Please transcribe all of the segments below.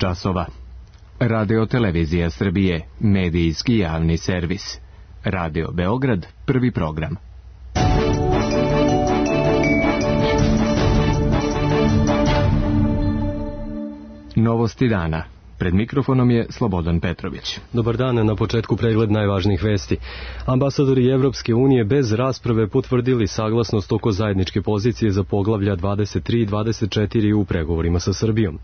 časova. Radio Televizija Srbije, medijski javni servis. Radio Beograd, prvi program. Novosti dana. Pred mikrofonom je Slobodan Petrović. Dobar dan, na početku pregled najvažnijih vesti. Ambasadori Evropske unije bez rasprave potvrdili saglasnost oko zajedničke pozicije za poglavlja 23 i 24 u pregovorima sa Srbijom.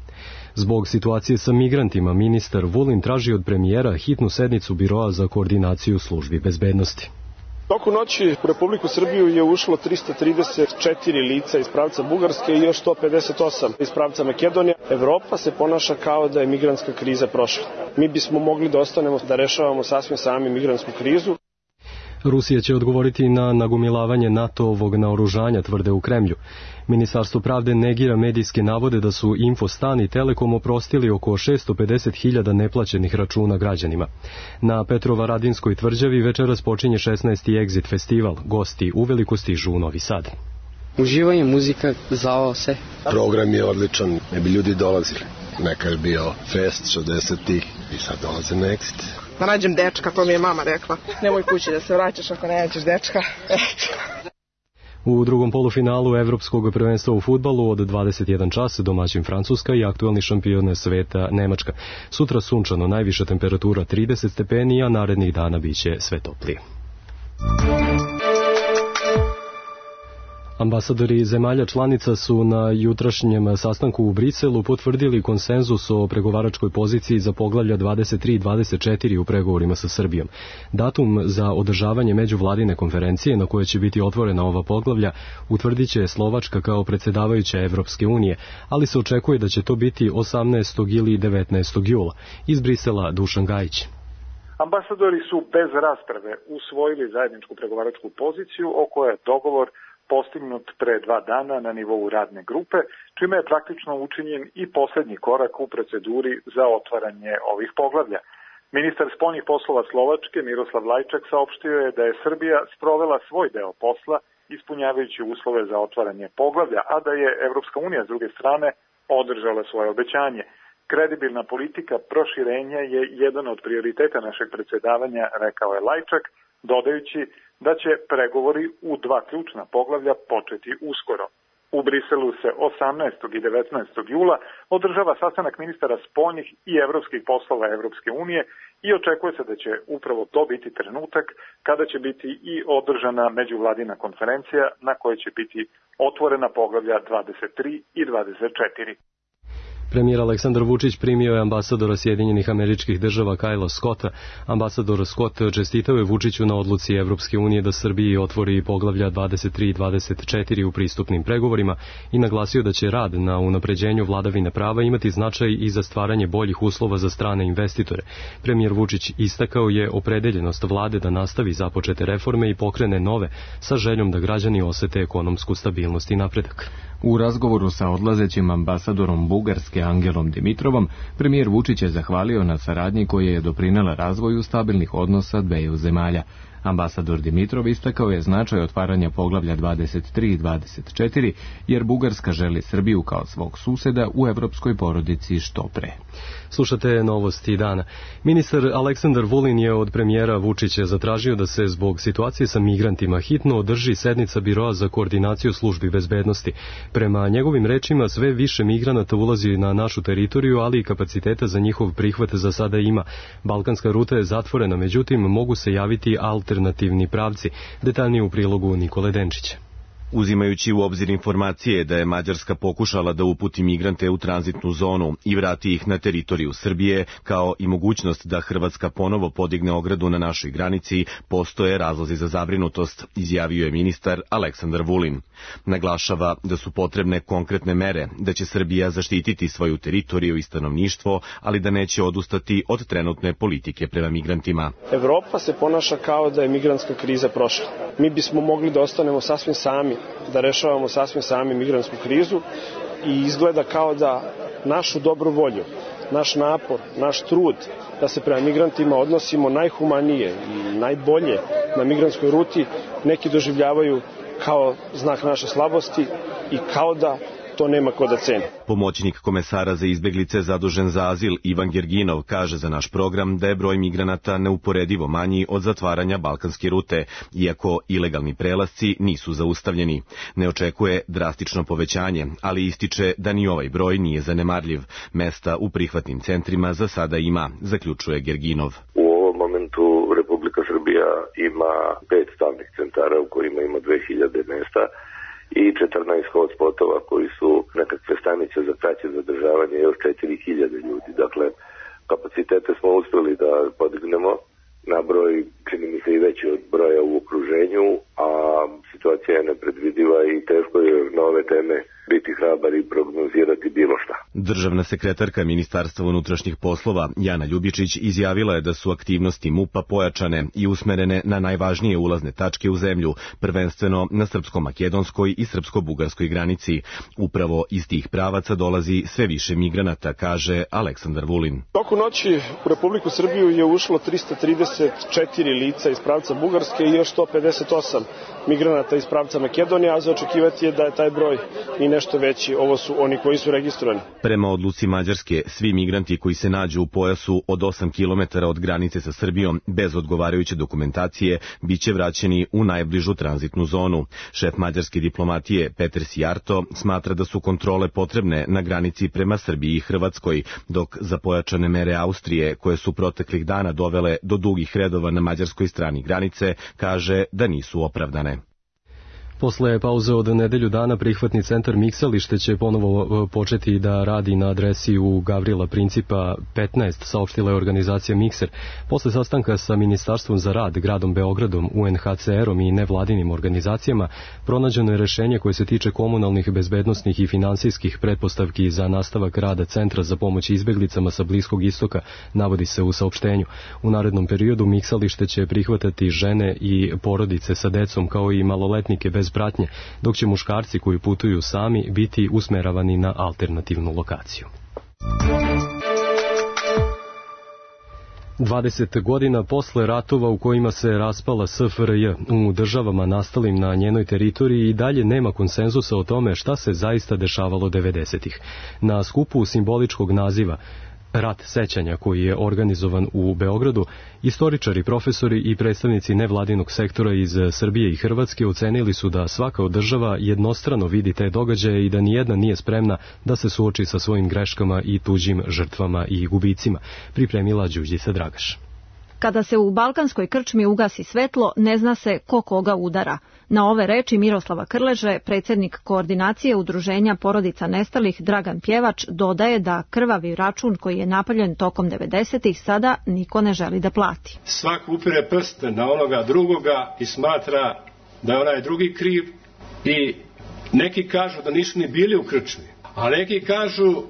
Zbog situacije sa migrantima, ministar Vulin traži od premijera hitnu sednicu Biroa za koordinaciju službi bezbednosti. Toku noći u Republiku Srbiju je ušlo 334 lica iz pravca Bugarske i još 158 iz pravca Makedonije. Evropa se ponaša kao da je migrantska kriza prošla. Mi bismo mogli da ostanemo da rešavamo sasvim sami migrantsku krizu. Rusija će odgovoriti na nagomilavanje NATO-ovog naoružanja, tvrde u Kremlju. Ministarstvo pravde negira medijske navode da su Infostan i Telekom oprostili oko 650.000 neplaćenih računa građanima. Na Petrovaradinskoj tvrđavi večeras počinje 16. Exit festival. Gosti uveliko stižu u Novi Sad. Uživanje, muzika, zao se. Program je odličan, ne bi ljudi dolazili. Neka je bio fest 60-ih i sad dolaze na Exit. Da nađem dečka, to mi je mama rekla. Nemoj kući da se vraćaš ako ne nađeš dečka. U drugom polufinalu Evropskog prvenstva u fudbalu od 21 čas domaćin Francuska i aktuelni šampion sveta Nemačka. Sutra sunčano, najviša temperatura 30 stepeni, a narednih dana biće sve toplije. Ambasadori zemalja članica su na jutrašnjem sastanku u Briselu potvrdili konsenzus o pregovaračkoj poziciji za poglavlja 23 i 24 u pregovorima sa Srbijom. Datum za održavanje međuvladine konferencije na kojoj će biti otvorena ova poglavlja utvrdit će Slovačka kao predsjedavajuća Evropske unije, ali se očekuje da će to biti 18. ili 19. jula. Iz Brisela Dušan Gajić. Ambasadori su bez rasprave usvojili zajedničku pregovaračku poziciju o kojoj je dogovor postignut pre 2 dana na nivou radne grupe, čime je praktično učinjen i posljednji korak u proceduri za otvaranje ovih poglavlja. Ministar spoljnih poslova Slovačke Miroslav Lajčak saopštio je da je Srbija sprovela svoj deo posla ispunjavajući uslove za otvaranje poglavlja, a da je Evropska unija s druge strane održala svoje obećanje. Kredibilna politika proširenja je jedan od prioriteta našeg predsjedavanja, rekao je Lajčak, dodajući da će pregovori u 2 ključna poglavlja početi uskoro. U Briselu se 18. i 19. jula održava sastanak ministara spoljnih i evropskih poslova Evropske unije i očekuje se da će upravo to biti trenutak kada će biti i održana međuvladina konferencija na kojoj će biti otvorena poglavlja 23 i 24. Premijer Aleksandar Vučić primio je ambasadora Sjedinjenih Američkih Država Kajla Scotta. Ambasador Scott čestitao je Vučiću na odluci Evropske unije da Srbiji otvori poglavlja 23 i 24 u pristupnim pregovorima i naglasio da će rad na unapređenju vladavine prava imati značaj i za stvaranje boljih uslova za strane investitore. Premijer Vučić istakao je opredeljenost vlade da nastavi započete reforme i pokrene nove sa željom da građani osete ekonomsku stabilnost i napredak. U razgovoru sa odlazećim ambasadorom Bugarske Angelom Dimitrovom, premijer Vučić je zahvalio na saradnji koja je doprinela razvoju stabilnih odnosa dveju zemalja. Ambasador Dimitrov istakao je značaj otvaranja poglavlja 23 i 24, jer Bugarska želi Srbiju kao svog suseda u evropskoj porodici što pre. Slušate novosti dana. Ministar Aleksandar Vulin je od premijera Vučića zatražio da se zbog situacije sa migrantima hitno održi sednica Biroa za koordinaciju službi bezbednosti. Prema njegovim rečima sve više migranata ulazi na našu teritoriju, ali i kapaciteta za njihov prihvat za sada ima. Balkanska ruta je zatvorena, međutim mogu se javiti alternativni pravci. Detaljnije u prilogu Nikole Denčića. Uzimajući u obzir informacije da je Mađarska pokušala da uputi migrante u tranzitnu zonu i vrati ih na teritoriju Srbije, kao i mogućnost da Hrvatska ponovo podigne ogradu na našoj granici, postoje razlozi za zabrinutost, izjavio je ministar Aleksandar Vulin. Naglašava da su potrebne konkretne mere, da će Srbija zaštititi svoju teritoriju i stanovništvo, ali da neće odustati od trenutne politike prema migrantima. Evropa se ponaša kao da je migrantska kriza prošla. Mi bismo mogli da ostanemo sasvim sami, da rešavamo sasvim sami migrantsku krizu i izgleda kao da našu dobru volju, naš napor, naš trud da se prema migrantima odnosimo najhumanije i najbolje na migrantskoj ruti neki doživljavaju kao znak naše slabosti i kao da to nema ko da ceni. Pomoćnik komesara za izbeglice zadužen za azil Ivan Gerginov kaže za naš program da je broj migranata neuporedivo manji od zatvaranja balkanske rute, iako ilegalni prelasci nisu zaustavljeni. Ne očekuje drastično povećanje, ali ističe da ni ovaj broj nije zanemarljiv. Mesta u prihvatnim centrima za sada ima, zaključuje Gerginov. U ovom momentu Republika Srbija ima 5 stalnih centara u kojima ima 2000 mesta i 14 hotspotova koji su nekakve stanice za kraće zadržavanje još 4000 ljudi. Dakle, kapacitete smo uspeli da podignemo na broj, čini mi se i veći od broja u okruženju, a situacija je nepredvidiva i teško je na ove teme biti hrabar i prognozirati bilo šta. Državna sekretarka Ministarstva unutrašnjih poslova Jana Ljubičić izjavila je da su aktivnosti MUP-a pojačane i usmerene na najvažnije ulazne tačke u zemlju, prvenstveno na srpsko-makedonskoj i srpsko-bugarskoj granici. Upravo iz tih pravaca dolazi sve više migranata, kaže Aleksandar Vulin. Toku noći u Republiku Srbiju je ušlo 334 lica iz pravca Bugarske i još 158 migranata iz pravca Makedonije, a za očekivati je da je taj broj i nešto veći. Ovo su oni koji su registrovani. Prema odluci Mađarske, svi migranti koji se nađu u pojasu od 8 km od granice sa Srbijom bez odgovarajuće dokumentacije biće vraćeni u najbližu tranzitnu zonu. Šef mađarske diplomatije Peter Sijarto smatra da su kontrole potrebne na granici prema Srbiji i Hrvatskoj, dok za pojačane mere Austrije, koje su proteklih dana dovele do dugih redova na mađarskoj strani granice, kaže da nisu opravdane. Posle pauze od nedelju dana prihvatni centar Miksalište će ponovo početi da radi na adresi u Gavrila Principa 15, saopštila je organizacija Mikser. Posle sastanka sa Ministarstvom za rad, gradom Beogradom, UNHCR-om i nevladinim organizacijama, pronađeno je rešenje koje se tiče komunalnih, bezbednosnih i finansijskih pretpostavki za nastavak rada Centra za pomoć izbeglicama sa Bliskog istoka, navodi se u saopštenju. U narednom periodu Miksalište će prihvatati žene i porodice sa decom kao i maloletnike bez pratnje, dok će muškarci koji putuju sami biti usmeravani na alternativnu lokaciju. 20 godina posle ratova u kojima se raspala SFRJ, u državama nastalim na njenoj teritoriji i dalje nema konsenzusa o tome šta se zaista dešavalo 90-ih. Na skupu simboličkog naziva Rat sećanja, koji je organizovan u Beogradu, istoričari, profesori i predstavnici nevladinog sektora iz Srbije i Hrvatske ocenili su da svaka od država jednostrano vidi te događaje i da nijedna nije spremna da se suoči sa svojim greškama i tuđim žrtvama i gubicima, pripremila Đurđica Dragaš. Kada se u balkanskoj krčmi ugasi svetlo, ne zna se ko koga udara. Na ove reči Miroslava Krleže, predsjednik koordinacije udruženja porodica nestalih Dragan Pjevač, dodaje da krvavi račun koji je napravljen tokom 90-ih sada niko ne želi da plati. Svak upire prst na onoga drugoga i smatra da je onaj drugi kriv i neki kažu da nisu ni bili u krčmi, a neki kažu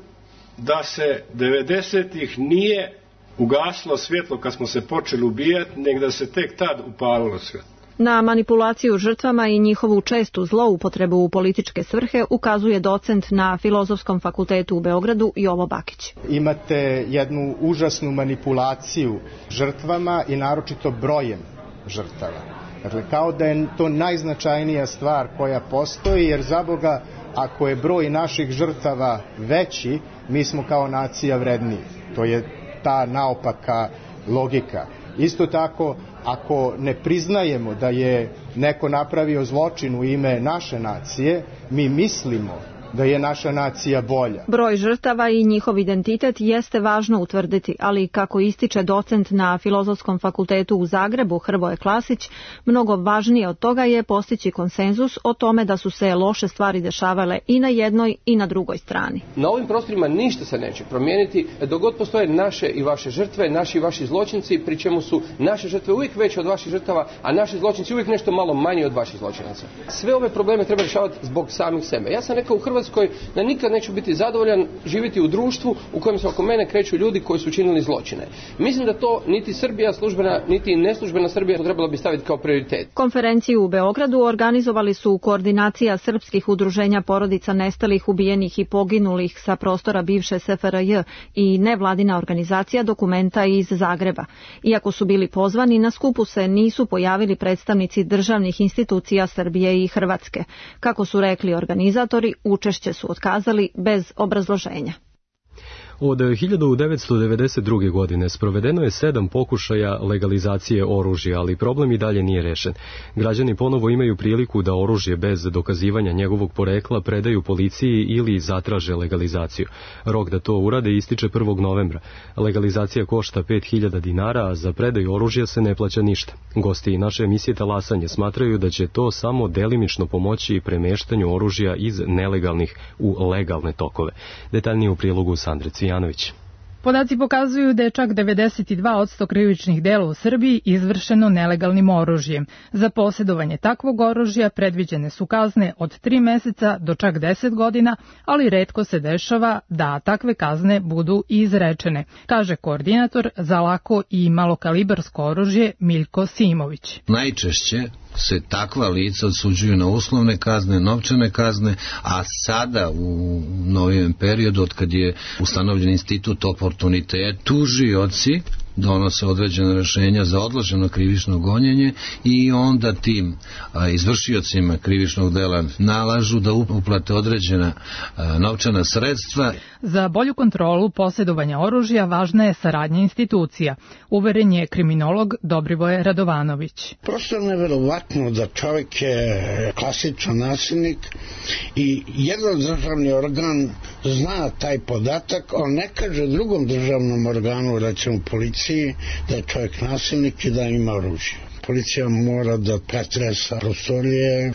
da se 90-ih nije ugaslo svjetlo kad smo se počeli ubijati, nego da se tek tad upalilo svjetlo. Na manipulaciju žrtvama i njihovu čestu zloupotrebu u političke svrhe ukazuje docent na Filozofskom fakultetu u Beogradu Jovo Bakić. Imate jednu užasnu manipulaciju žrtvama i naročito brojem žrtava. Dakle, kao da je to najznačajnija stvar koja postoji, jer za Boga, ako je broj naših žrtava veći, mi smo kao nacija vredniji. To je ta naopaka logika. Isto tako, ako ne priznajemo da je neko napravio zločin u ime naše nacije, mi mislimo da je naša nacija bolja. Broj žrtava i njihov identitet jeste važno utvrditi, ali kako ističe docent na Filozofskom fakultetu u Zagrebu Hrvoje Klasić, mnogo važnije od toga je postići konsenzus o tome da su se loše stvari dešavale i na jednoj i na drugoj strani. Na ovim prostorima ništa se neće promijeniti dok god postoje naše i vaše žrtve, naši i vaši zločinci, pri čemu su naše žrtve uvijek veće od vaših žrtava, a naši zločinci uvijek nešto malo manje od vaših zločinaca. Sve ove probleme treba rješavati zbog samih sebe. Ja sam rekao u Hrvatskoj da nikad neću biti zadovoljan živjeti u društvu u kojem se oko mene kreću ljudi koji su činili zločine. Mislim da to niti Srbija službena, niti neslužbena Srbija trebala bi staviti kao prioritet. Konferenciju u Beogradu organizovali su koordinacija srpskih udruženja porodica nestalih, ubijenih i poginulih sa prostora bivše SFRJ i nevladina organizacija Dokumenta iz Zagreba. Iako su bili pozvani, na skupu se nisu pojavili predstavnici državnih institucija Srbije i Hrvatske. Kako su rekli organizatori, učešće učešće su otkazali bez obrazloženja. Od 1992. godine sprovedeno je 7 pokušaja legalizacije oružja, ali problem i dalje nije rešen. Građani ponovo imaju priliku da oružje bez dokazivanja njegovog porekla predaju policiji ili zatraže legalizaciju. Rok da to urade ističe 1. novembra. Legalizacija košta 5.000 dinara, a za predaju oružja se ne plaća ništa. Gosti naše emisije Talasanje smatraju da će to samo delimično pomoći premeštanju oružja iz nelegalnih u legalne tokove. Detaljnije u prilogu Sandre Cvijanović. Podaci pokazuju da je čak 92% krivičnih dela u Srbiji izvršeno nelegalnim oružjem. Za posjedovanje takvog oružja predviđene su kazne od 3 meseca do čak 10 godina, ali retko se dešava da takve kazne budu i izrečene, kaže koordinator za lako i malokalibarsko oružje Miljko Simović. Najčešće se takva lica odsuđuju na uslovne kazne, novčane kazne, a sada u novijem periodu, od kad je ustanovljen institut oportuniteta, tužioci donose određene rešenja za odloženo krivično gonjenje i onda tim izvršiocima krivičnog dela nalažu da uplate određena novčana sredstva. Za bolju kontrolu posjedovanja oružja važna je saradnja institucija, uveren je kriminolog Dobrivoje Radovanović. Prosto je neverovatno da čovjek je klasičan nasilnik i jedan državni organ zna taj podatak, on ne kaže drugom državnom organu, recimo policiji, da je čovjek nasilnik i da ima oružje. Policija mora da pretresa prostorije.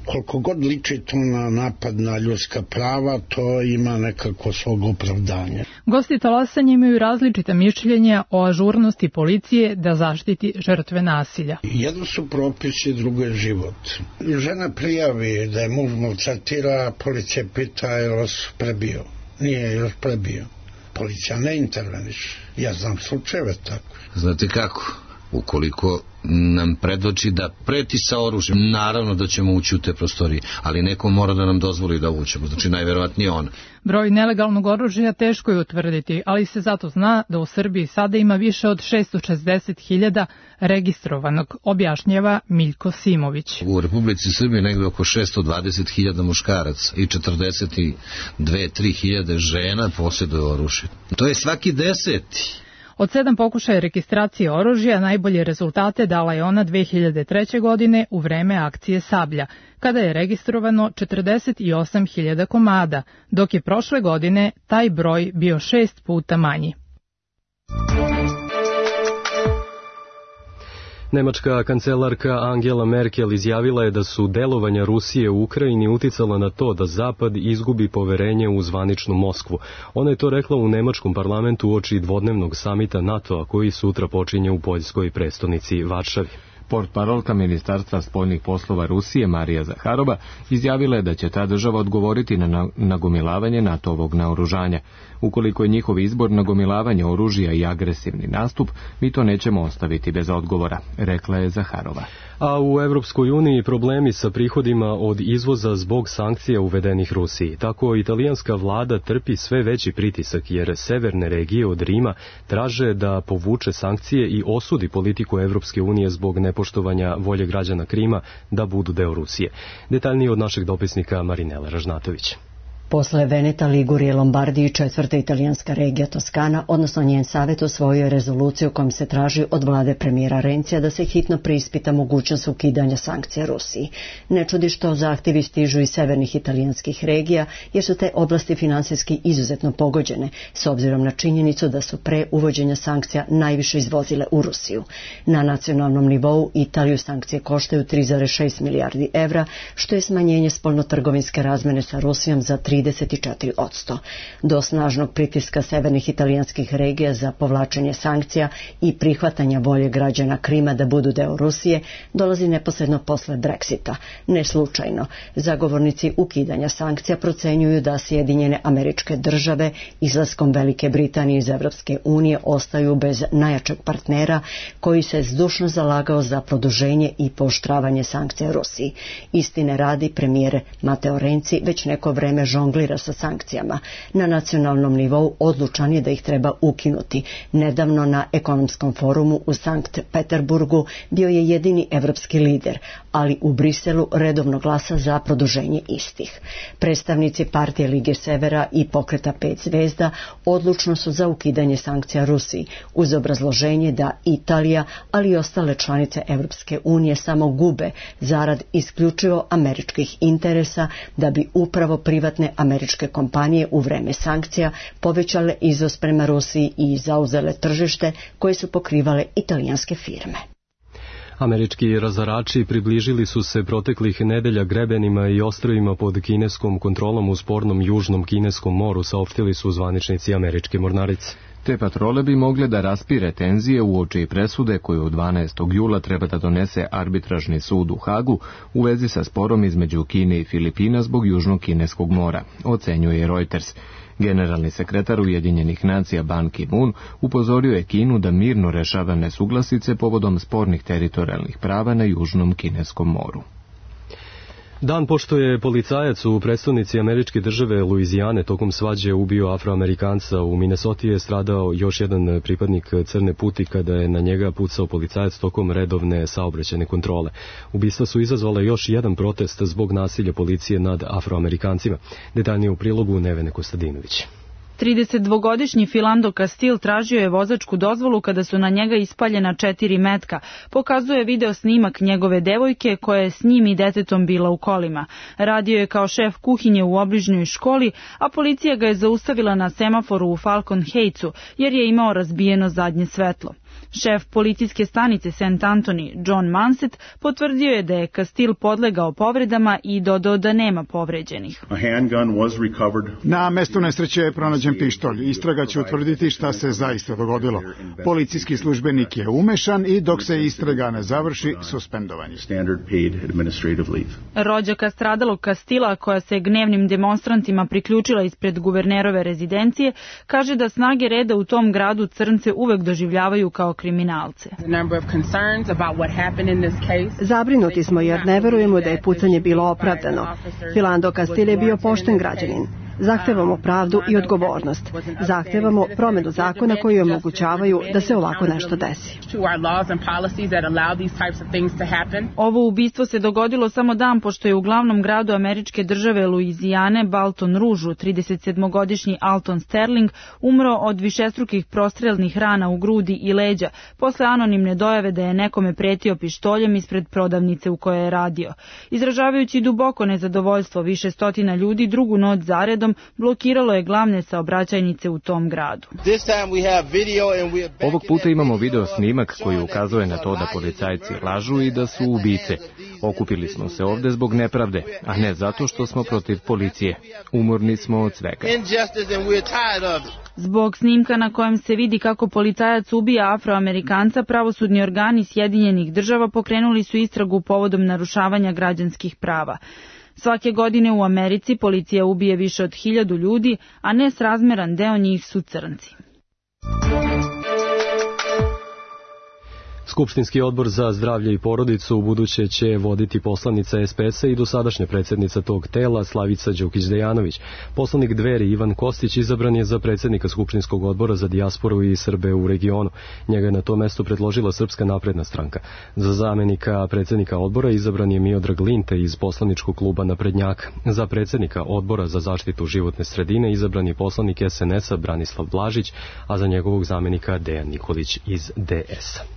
Koliko god liči to na napad na ljudska prava, to ima nekako svog opravdanja. Gosti Talasanja imaju različita mišljenja o ažurnosti policije da zaštiti žrtve nasilja. Jedno su propisi, drugo je život. Žena prijavi da je muž maltretira, policija pita je li vas prebio. Nije još prebio. Policija ne interveniše. Ja znam slučajeve tako. Znate kako? Ukoliko nam predoči da preti sa oružjem, naravno da ćemo ući u te prostorije, ali neko mora da nam dozvoli da uđemo, znači najverovatnije on. Broj nelegalnog oružja teško je utvrditi, ali se zato zna da u Srbiji sada ima više od 660.000 registrovanog, objašnjava Miljko Simović. U Republici Srbiji negde oko 620.000 muškaraca i 42-3.000 žena posjeduje oružje. To je svaki 10. Od 7 pokušaja registracije oružja najbolje rezultate dala je ona 2003. godine u vreme akcije Sablja, kada je registrovano 48.000 komada, dok je prošle godine taj broj bio 6 puta manji. Nemačka kancelarka Angela Merkel izjavila je da su delovanja Rusije u Ukrajini uticala na to da Zapad izgubi poverenje u zvaničnu Moskvu. Ona je to rekla u nemačkom parlamentu uoči dvodnevnog samita NATO-a koji sutra počinje u poljskoj prestonici Varšavi. Portparolka Ministarstva spoljnih poslova Rusije Marija Zaharova izjavila je da će ta država odgovoriti na nagomilavanje NATO-ovog naoružanja. Ukoliko je njihov izbor nagomilavanje oružja i agresivni nastup, mi to nećemo ostaviti bez odgovora, rekla je Zaharova. A u Evropskoj uniji problemi sa prihodima od izvoza zbog sankcija uvedenih Rusiji. Tako italijanska vlada trpi sve veći pritisak jer severne regije od Rima traže da povuče sankcije i osudi politiku Evropske unije zbog nepoštovanja volje građana Krima da budu deo Rusije. Detaljnije od našeg dopisnika Marinela Ražnatović. Posle Veneta, Ligurije, Lombardije i četvrta italijanska regija Toskana, odnosno njen savjet usvojio je rezoluciju kojom se traži od vlade premijera Rencija da se hitno preispita mogućnost ukidanja sankcija Rusiji. Ne čudi što zahtjevi stižu iz severnih italijanskih regija, jer su te oblasti finansijski izuzetno pogođene, s obzirom na činjenicu da su pre uvođenja sankcija najviše izvozile u Rusiju. Na nacionalnom nivou Italiju sankcije koštaju 3,6 milijardi evra, što je smanjenje spoljnotrgovinske razmene sa Rusijom za 34%. Do snažnog pritiska severnih italijanskih regija za povlačenje sankcija i prihvatanja volje građana Krima da budu deo Rusije dolazi neposredno posle Brexita. Ne slučajno, zagovornici ukidanja sankcija procenjuju da Sjedinjene Američke Države izlaskom Velike Britanije iz Evropske unije ostaju bez najjačeg partnera koji se zdušno zalagao za produženje i pooštravanje sankcija Rusiji. Istine radi, premijer Matteo Renzi već neko vreme žonglira žonglira sa sankcijama. Na nacionalnom nivou odlučan je da ih treba ukinuti. Nedavno na ekonomskom forumu u Sankt Peterburgu bio je jedini evropski lider, ali u Briselu redovno glasa za produženje istih. Predstavnici partije Lige Severa i pokreta 5 zvezda odlučno su za ukidanje sankcija Rusiji, uz obrazloženje da Italija, ali i ostale članice Evropske unije samo gube zarad isključivo američkih interesa, da bi upravo privatne američke kompanije u vreme sankcija povećale izvoz prema Rusiji i zauzele tržište koje su pokrivale italijanske firme. Američki razarači približili su se proteklih nedelja grebenima i ostrvima pod kineskom kontrolom u spornom južnom kineskom moru, saopštili su zvaničnici američke mornarice. Te patrole bi mogle da raspire tenzije uoči presude koju 12. jula treba da donese arbitražni sud u Hagu u vezi sa sporom između Kine i Filipina zbog južnog kineskog mora, ocenjuje Reuters. Generalni sekretar Ujedinjenih nacija Ban Ki-moon upozorio je Kinu da mirno rešava nesuglasice povodom spornih teritorijalnih prava na južnom kineskom moru. Dan pošto je policajac u prestonici američke države Luizijane tokom svađe ubio Afroamerikanca u Minnesoti je stradao još jedan pripadnik Crne puti kada je na njega pucao policajac tokom redovne saobraćajne kontrole. Ubistva su izazvale još jedan protest zbog nasilja policije nad Afroamerikancima. Detaljnije u prilogu Nevene Kostadinović. 32-godišnji Philando Castile tražio je vozačku dozvolu kada su na njega ispaljena 4 metka. Pokazuje video snimak njegove devojke koja je s njim i detetom bila u kolima. Radio je kao šef kuhinje u obližnjoj školi, a policija ga je zaustavila na semaforu u Falcon Heightsu jer je imao razbijeno zadnje svetlo. Šef policijske stanice St. Anthony, John Manset, potvrdio je da je Castile podlegao povredama i dodao da nema povređenih. Na mestu nesreće je pronađen pištolj. Istraga će utvrditi šta se zaista dogodilo. Policijski službenik je umešan i dok se istraga ne završi, suspendovan je. Rođaka stradalog Castila, koja se gnevnim demonstrantima priključila ispred guvernerove rezidencije, kaže da snage reda u tom gradu crnce uvek doživljavaju kao kriminalce. Zabrinuti smo jer ne verujemo da je pucanje bilo opravdano. Philando Castile je bio pošten građanin. Zahtevamo pravdu i odgovornost. Zahtevamo promjenu zakona koji omogućavaju da se ovako nešto desi. Ovo ubistvo se dogodilo samo dan pošto je u glavnom gradu američke države Luizijane, Baton Rouge, 37-godišnji Alton Sterling umro od višestrukih prostrelnih rana u grudi i leđa posle anonimne dojave da je nekome pretio pištoljem ispred prodavnice u kojoj je radio. Izražavajući duboko nezadovoljstvo, više stotina ljudi drugu noć zaredom blokiralo je glavne saobraćajnice u tom gradu. Ovog puta imamo video snimak koji ukazuje na to da policajci lažu i da su ubice. Okupili smo se ovde zbog nepravde, a ne zato što smo protiv policije. Umorni smo od svega. Zbog snimka na kojem se vidi kako policajac ubija Afroamerikanca, pravosudni organi Sjedinjenih država pokrenuli su istragu povodom narušavanja građanskih prava. Svake godine u Americi policija ubije više od 1000 ljudi, a nesrazmeran deo njih su crnci. Skupštinski odbor za zdravlje i porodicu ubuduće će voditi poslanica SPS-a i dosadašnja predsjednica tog tela Slavica Đukić-Dejanović. Poslanik Dveri Ivan Kostić izabran je za predsjednika Skupštinskog odbora za dijasporu i Srbe u regionu. Njega je na to mesto predložila Srpska napredna stranka. Za zamenika predsjednika odbora izabran je Miodrag Linte iz poslaničkog kluba Naprednjaka. Za predsjednika odbora za zaštitu životne sredine izabran je poslanik SNS-a Branislav Blažić, a za njegovog zamenika Dejan Nikolić iz DS-a.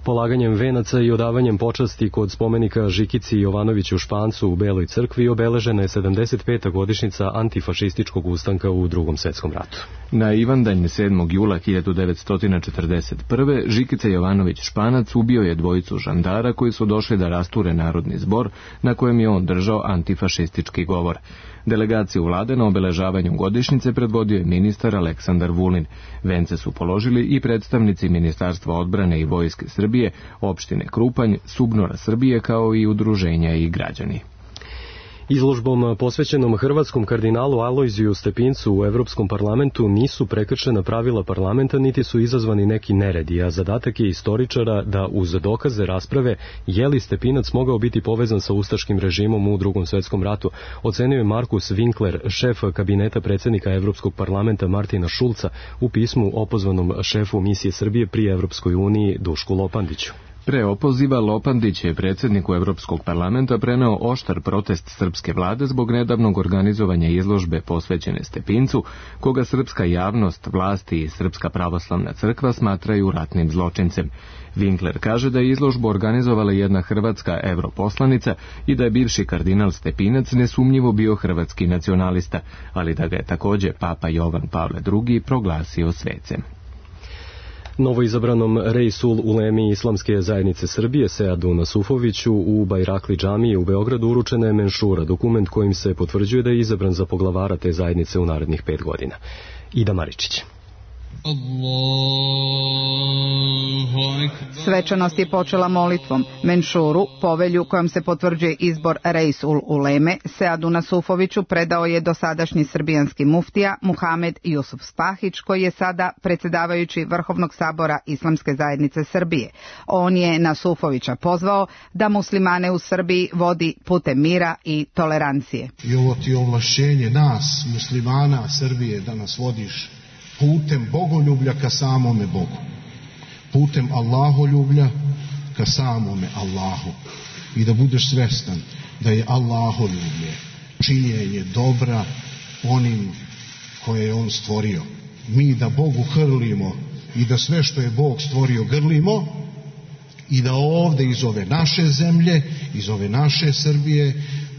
Polaganjem venaca i odavanjem počasti kod spomenika Žikici Jovanoviću Špancu u Beloj crkvi obeležena je 75. godišnjica antifašističkog ustanka u Drugom svjetskom ratu. Na Ivandanj 7. jula 1941. Žikica Jovanović Španac ubio je dvojicu žandara koji su došli da rasture narodni zbor na kojem je on držao antifašistički govor. Delegaciju vlade na obeležavanju godišnjice predvodio je ministar Aleksandar Vulin. Vence su položili i predstavnici Ministarstva odbrane i Vojske Srbije, opštine Krupanj, Subnora Srbije kao i udruženja i građani. Izložbom posvećenom hrvatskom kardinalu Alojziju Stepincu u Evropskom parlamentu nisu prekršena pravila parlamenta niti su izazvani neki neredi, a zadatak je istoričara da uz dokaze rasprave je li Stepinac mogao biti povezan sa ustaškim režimom u Drugom svetskom ratu, ocenio je Markus Winkler, šef kabineta predsjednika Evropskog parlamenta Martina Šulca, u pismu opozvanom šefu misije Srbije pri Evropskoj uniji Dušku Lopandiću. Pre opoziva Lopandić je predsjedniku Evropskog parlamenta preneo oštar protest srpske vlade zbog nedavnog organizovanja izložbe posvećene Stepincu, koga srpska javnost, vlasti i Srpska pravoslavna crkva smatraju ratnim zločincem. Winkler kaže da je izložbu organizovala jedna hrvatska europoslanica i da je bivši kardinal Stepinac nesumnjivo bio hrvatski nacionalista, ali da ga je također Papa Jovan Pavle II proglasio svecem. Novoizabranom Reisul Ulemi Islamske zajednice Srbije Seadu Nasufoviću u Bajrakli džamiji u Beogradu uručena je menšura, dokument kojim se potvrđuje da je izabran za poglavara te zajednice u narednih 5 godina. Ida Maričić. Svečanost je počela molitvom. Menšuru, povelju kojom se potvrđuje izbor Reisul Uleme, Seadu Nasufoviću predao je dosadašnji srbijanski muftija Muhamed Jusuf Spahić, koji je sada predsjedavajući Vrhovnog sabora Islamske zajednice Srbije. On je Nasufovića pozvao da muslimane u Srbiji vodi putem mira i tolerancije. I ovo ti je ovlašćenje nas, muslimana Srbije, da nas vodiš putem bogoljublja ka samome Bogu, putem Allaholjublja ka samome Allahu, i da budeš svjestan da je Allaholjublje činjenje dobra onim koje je On stvorio. Mi da Bogu hrlimo i da sve što je Bog stvorio grlimo i da ovdje iz ove naše zemlje, iz ove naše Srbije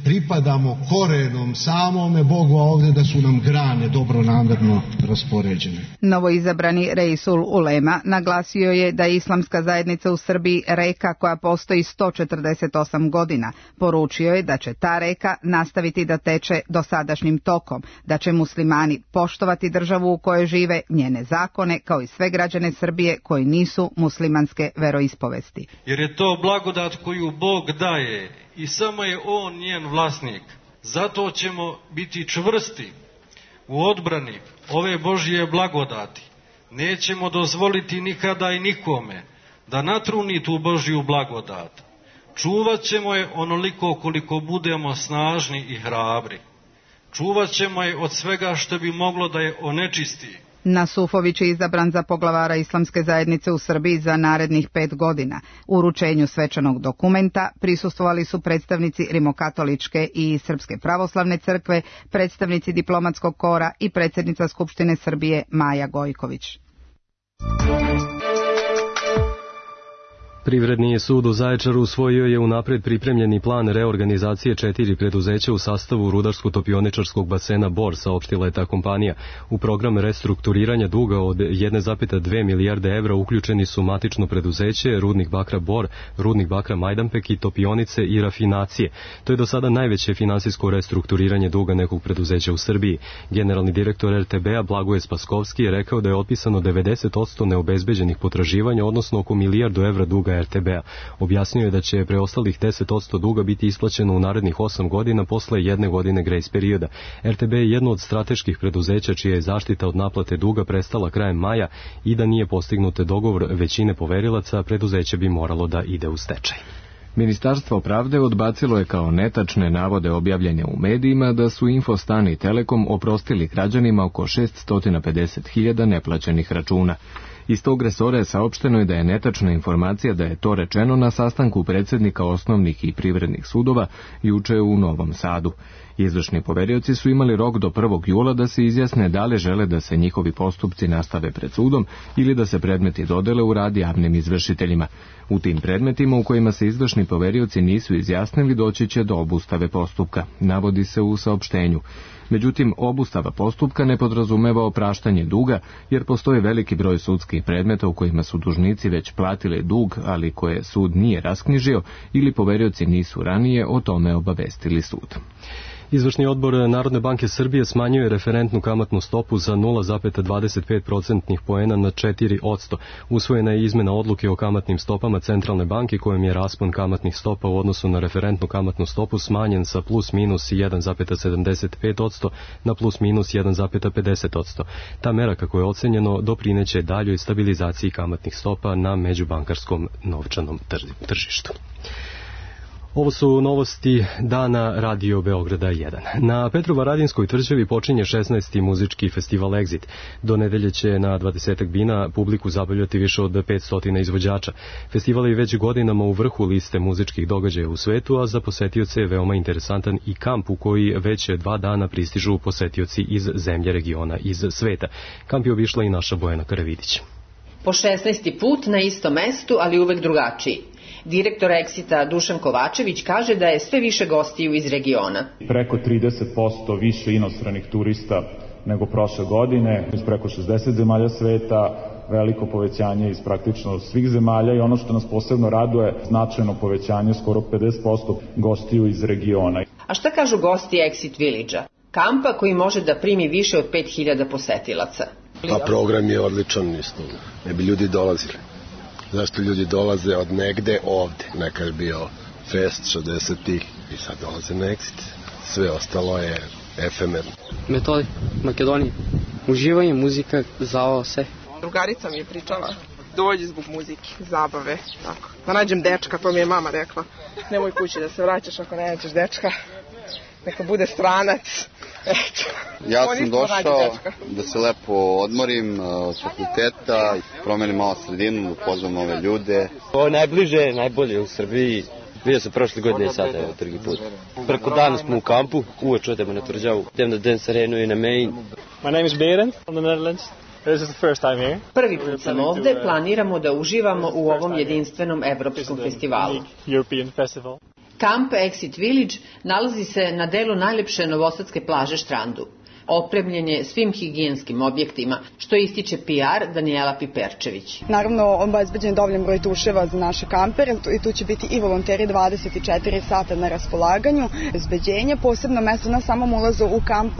pripadamo korenom samome Bogu, a ovdje da su nam grane dobronamjerno raspoređene. Novoizabrani Reisul Ulema naglasio je da je Islamska zajednica u Srbiji reka koja postoji 148 godina. Poručio je da će ta reka nastaviti da teče dosadašnjim tokom, da će muslimani poštovati državu u kojoj žive, njene zakone, kao i sve građane Srbije koji nisu muslimanske veroispovesti. Jer je to blagodat koju Bog daje i samo je On njen vlasnik. Zato ćemo biti čvrsti u odbrani ove Božje blagodati. Nećemo dozvoliti nikada i nikome da natruni tu Božju blagodat. Čuvat ćemo je onoliko koliko budemo snažni i hrabri. Čuvat ćemo je od svega što bi moglo da je onečisti. Nasufović je izabran za poglavara Islamske zajednice u Srbiji za narednih 5 godina. U uručenju svečanog dokumenta prisustvovali su predstavnici Rimokatoličke i Srpske pravoslavne crkve, predstavnici diplomatskog kora i predsjednica Skupštine Srbije Maja Gojković. Privredni sud u Zaječaru usvojio je unapred pripremljeni plan reorganizacije 4 preduzeća u sastavu rudarsko-topioničarskog basena Bor, saopštila je ta kompanija. U program restrukturiranja duga od 1,2 milijarde evra uključeni su matično preduzeće, rudnik bakra Bor, rudnik bakra Majdanpek i topionice i rafinacije. To je do sada najveće finansijsko restrukturiranje duga nekog preduzeća u Srbiji. Generalni direktor RTB-a Blagoje Spaskovski je rekao da je otpisano 90% neobezbeđenih potraživanja, odnosno oko milijardu evra duga RTB-a. Objasnio je da će preostalih 10% duga biti isplaćeno u narednih 8 godina posle 1 godine grejs perioda. RTB je jedno od strateških preduzeća čija je zaštita od naplate duga prestala krajem maja i da nije postignut dogovor većine poverilaca, preduzeće bi moralo da ide u stečaj. Ministarstvo pravde odbacilo je kao netačne navode objavljene u medijima da su Infostan i Telekom oprostili građanima oko 650.000 neplaćenih računa. Iz tog resora je saopšteno je da je netačna informacija da je to rečeno na sastanku predsjednika osnovnih i privrednih sudova juče u Novom Sadu. Izvršni poverioci su imali rok do 1. jula da se izjasne da li žele da se njihovi postupci nastave pred sudom ili da se predmeti dodele u rad javnim izvršiteljima. U tim predmetima u kojima se izvršni poverioci nisu izjasnili doći će do obustave postupka, navodi se u saopštenju. Međutim, obustava postupka ne podrazumeva opraštanje duga, jer postoji veliki broj sudskih predmeta u kojima su dužnici već platili dug, ali koje sud nije rasknjižio ili poverioci nisu ranije o tome obavestili sud. Izvršni odbor Narodne banke Srbije smanjuje referentnu kamatnu stopu za 0,25% poena na 4%. Usvojena je izmena odluke o kamatnim stopama Centralne banke kojom je raspon kamatnih stopa u odnosu na referentnu kamatnu stopu smanjen sa plus minus 1,75% na plus minus 1,50%. Ta mera, kako je ocenjeno, doprineće daljoj stabilizaciji kamatnih stopa na međubankarskom novčanom tržištu. Ovo su novosti dana Radio Beograda 1. Na Petrovaradinskoj tvrđavi počinje 16. muzički festival Exit. Do nedelje će na 20 bina publiku zabavljati više od 500 izvođača. Festival je već godinama u vrhu liste muzičkih događaja u svetu, a za posetioce je veoma interesantan i kamp u koji već 2 dana pristižu posetioci iz zemlje, regiona, iz sveta. Kamp je obišla i naša Bojana Karavidić. Po 16. put na istom mestu, ali uvek drugačiji. Direktor Exita Dušan Kovačević kaže da je sve više gostiju iz regiona. Preko 30% više inostranih turista nego prošle godine, iz preko 60 zemalja sveta, veliko povećanje iz praktično svih zemalja i ono što nas posebno raduje, značajno povećanje, skoro 50% gostiju iz regiona. A šta kažu gosti Exit Village-a? Kampa koji može da primi više od 5000 posetilaca. Pa program je odličan isto, ne bi ljudi dolazili. Zašto ljudi dolaze od negde ovde? Nekad je bio fest 60-ih i sad dolaze na Exit. Sve ostalo je efemerno. Metodi, Makedoniji. Uživanje, muzika, zavao se. Drugarica mi je pričala, dođi zbog muzike, zabave, tako. Da nađem dečka, to mi je mama rekla. Nemoj kući da se vraćaš ako ne nađeš dečka. Neka bude stranac. Ja sam došao da se lepo odmorim od fakulteta, promenim malo sredinu, upoznam nove ljude. Ovo je najbliže, najbolje u Srbiji. Bio sam prošle godine i sada, evo, drugi put. Preko dana smo u kampu, uveč odemo na tvrđavu, idem na Dance Arenu i na Main. My name is Berend from the Netherlands. This is the first time here. Prvi put sam ovde, planiramo da uživamo u ovom jedinstvenom evropskom festivalu. European Festival. Kamp Exit Village nalazi se na delu najlepše novosadske plaže Štrandu. Opremljen je svim higijenskim objektima, što ističe PR Danijela Piperčević. Naravno, obezbeđen je dovoljan broj tuševa za naše kampere i tu će biti i volonteri 24 sata na raspolaganju. Bezbeđenje, posebno mesto na samom ulazu u kamp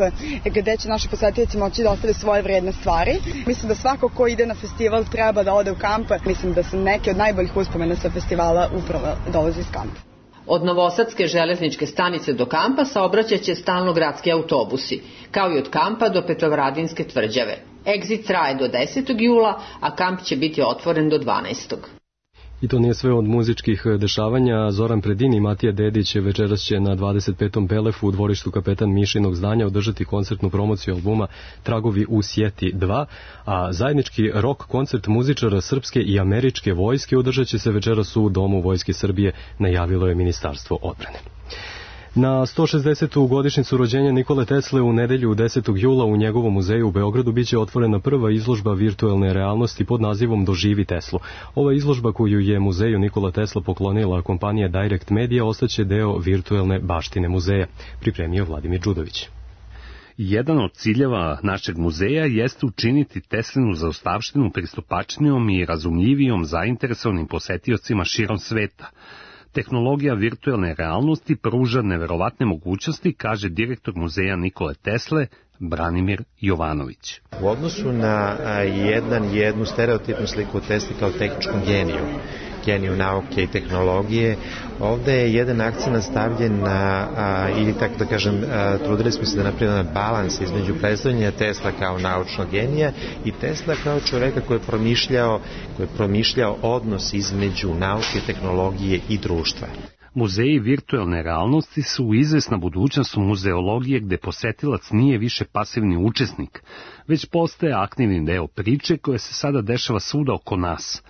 gde će naši posetioci moći da ostave svoje vredne stvari. Mislim da svako ko ide na festival treba da ode u kamp. Mislim da su neke od najboljih uspomena sa festivala upravo dolaze iz kampa. Od Novosadske železničke stanice do kampa saobraćaće stalno gradski autobusi, kao i od kampa do Petrovaradinske tvrđave. Exit traje do 10. jula, a kamp će biti otvoren do 12. I to nije sve od muzičkih dešavanja. Zoran Predin i Matija Dedić večeras će na 25. Belefu u dvorištu Kapetan Mišinog zdanja održati koncertnu promociju albuma Tragovi u sjeti 2, a zajednički rock koncert muzičara srpske i američke vojske održat će se večeras u Domu Vojske Srbije, najavilo je Ministarstvo odbrane. Na 160. godišnjicu rođenja Nikole Tesle u nedelju 10. jula u njegovom muzeju u Beogradu biće otvorena prva izložba virtuelne realnosti pod nazivom Doživi Teslu. Ova izložba koju je muzeju Nikola Tesla poklonila kompanija Direct Media ostaće deo virtuelne baštine muzeja, pripremio Vladimir Đudović. Jedan od ciljeva našeg muzeja jeste učiniti Teslinu zaostavštinu pristupačnijom i razumljivijom zainteresovanim posetiocima širom sveta. Tehnologija virtuelne realnosti pruža neverovatne mogućnosti, kaže direktor muzeja Nikole Tesle, Branimir Jovanović. U odnosu na jednu stereotipnu sliku Tesli kao tehničkom geniju nauke i tehnologije, ovde je jedan akcent stavljen na, ili tako da kažem, trudili smo se da napravimo balans između predstavljanja Tesla kao naučnog genija i Tesla kao čoveka koji je promišljao odnos između nauke, tehnologije i društva. Muzeji virtuelne realnosti su izvesna budućnost muzeologije gde posetilac nije više pasivni učesnik, već postaje aktivni deo priče koja se sada dešava svuda oko nas.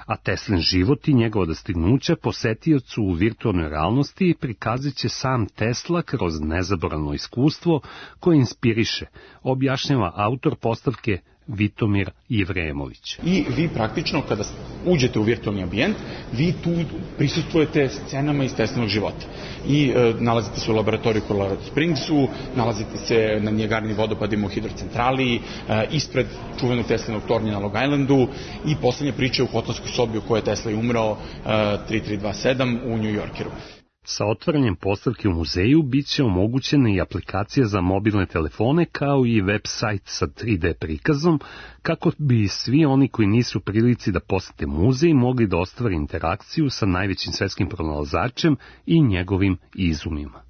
A Teslin život i njegova dostignuća posetiocu u virtualnoj realnosti prikazat će sam Tesla kroz nezaboravno iskustvo koje inspiriše, objašnjava autor postavke Vitomir Jevremović. I vi praktično kada uđete u virtualni ambijent, vi tu prisustvujete scenama iz Teslinog života. I nalazite se u laboratoriju u Colorado Springsu, nalazite se na Niagarini vodopadima u hidrocentrali, ispred čuvenog Teslinog tornja na Long Islandu i poslednja priča u hotelskoj sobi u kojoj je Tesla umrao 3327 u New Yorkeru. Sa otvaranjem postavke u muzeju bit će omogućena i aplikacija za mobilne telefone kao i web sajt sa 3D prikazom, kako bi svi oni koji nisu u prilici da posete muzej mogli da ostvare interakciju sa najvećim svetskim pronalazačem i njegovim izumima.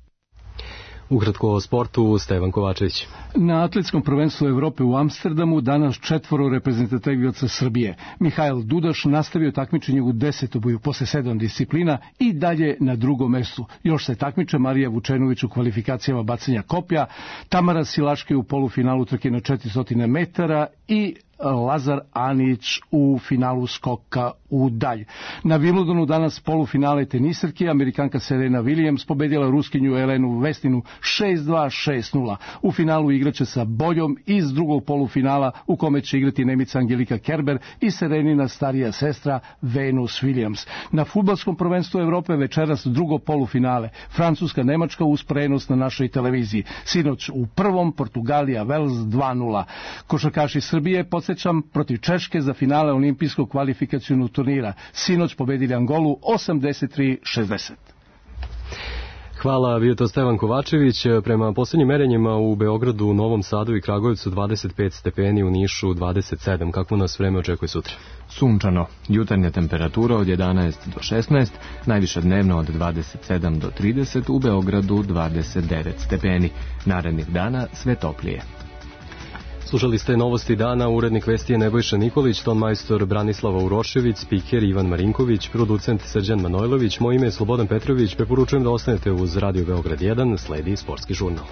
Ukratko o sportu, Stevan Kovačević. Na atletskom prvenstvu Evrope u Amsterdamu danas 4 reprezentativaca Srbije. Mihajl Dudaš nastavio takmičenje u 10. posle 7 disciplina i dalje na drugom mestu. Još se takmiče Marija Vučenović u kvalifikacijama bacanja koplja, Tamara Silaške u polufinalu trke na 400 metara i Lazar Anić u finalu skoka u dalj. Na Wimbledonu danas polufinale tenisarke, Amerikanka Serena Williams pobedila Ruskinju Elenu Vesninu 6-2, 6-0. U finalu igraće sa Boljom iz drugog polufinala u kome će igrati Nemica Angelika Kerber i Serenina starija sestra Venus Williams. Na fudbalskom prvenstvu Evrope večeras drugo polufinale, Francuska-Nemačka uz prenos na našoj televiziji. Sinoć u prvom Portugalija Wales 2-0. Košarkaši Srbije podsjećam protiv Češke za finale olimpijskog kvalifikacionog turnira. Sinoć pobedili Angolu 83-60. Hvala, bio to Stevan Kovačević. Prema posljednjim merenjima u Beogradu, Novom Sadu i Kragujevcu 25 stepeni, u Nišu 27. Kakvo nas vreme očekuje sutra? Sunčano. Jutarnja temperatura od 11 do 16, najviša dnevno od 27 do 30, u Beogradu 29 stepeni. Narednih dana sve toplije. Slušali ste novosti dana, urednik vesti je Nebojša Nikolić, ton majstor Branislava Urošević, spiker Ivan Marinković, producent Srđan Manojlović, moje ime je Slobodan Petrović, preporučujem da ostanete uz Radio Beograd 1, sledi sportski žurnal.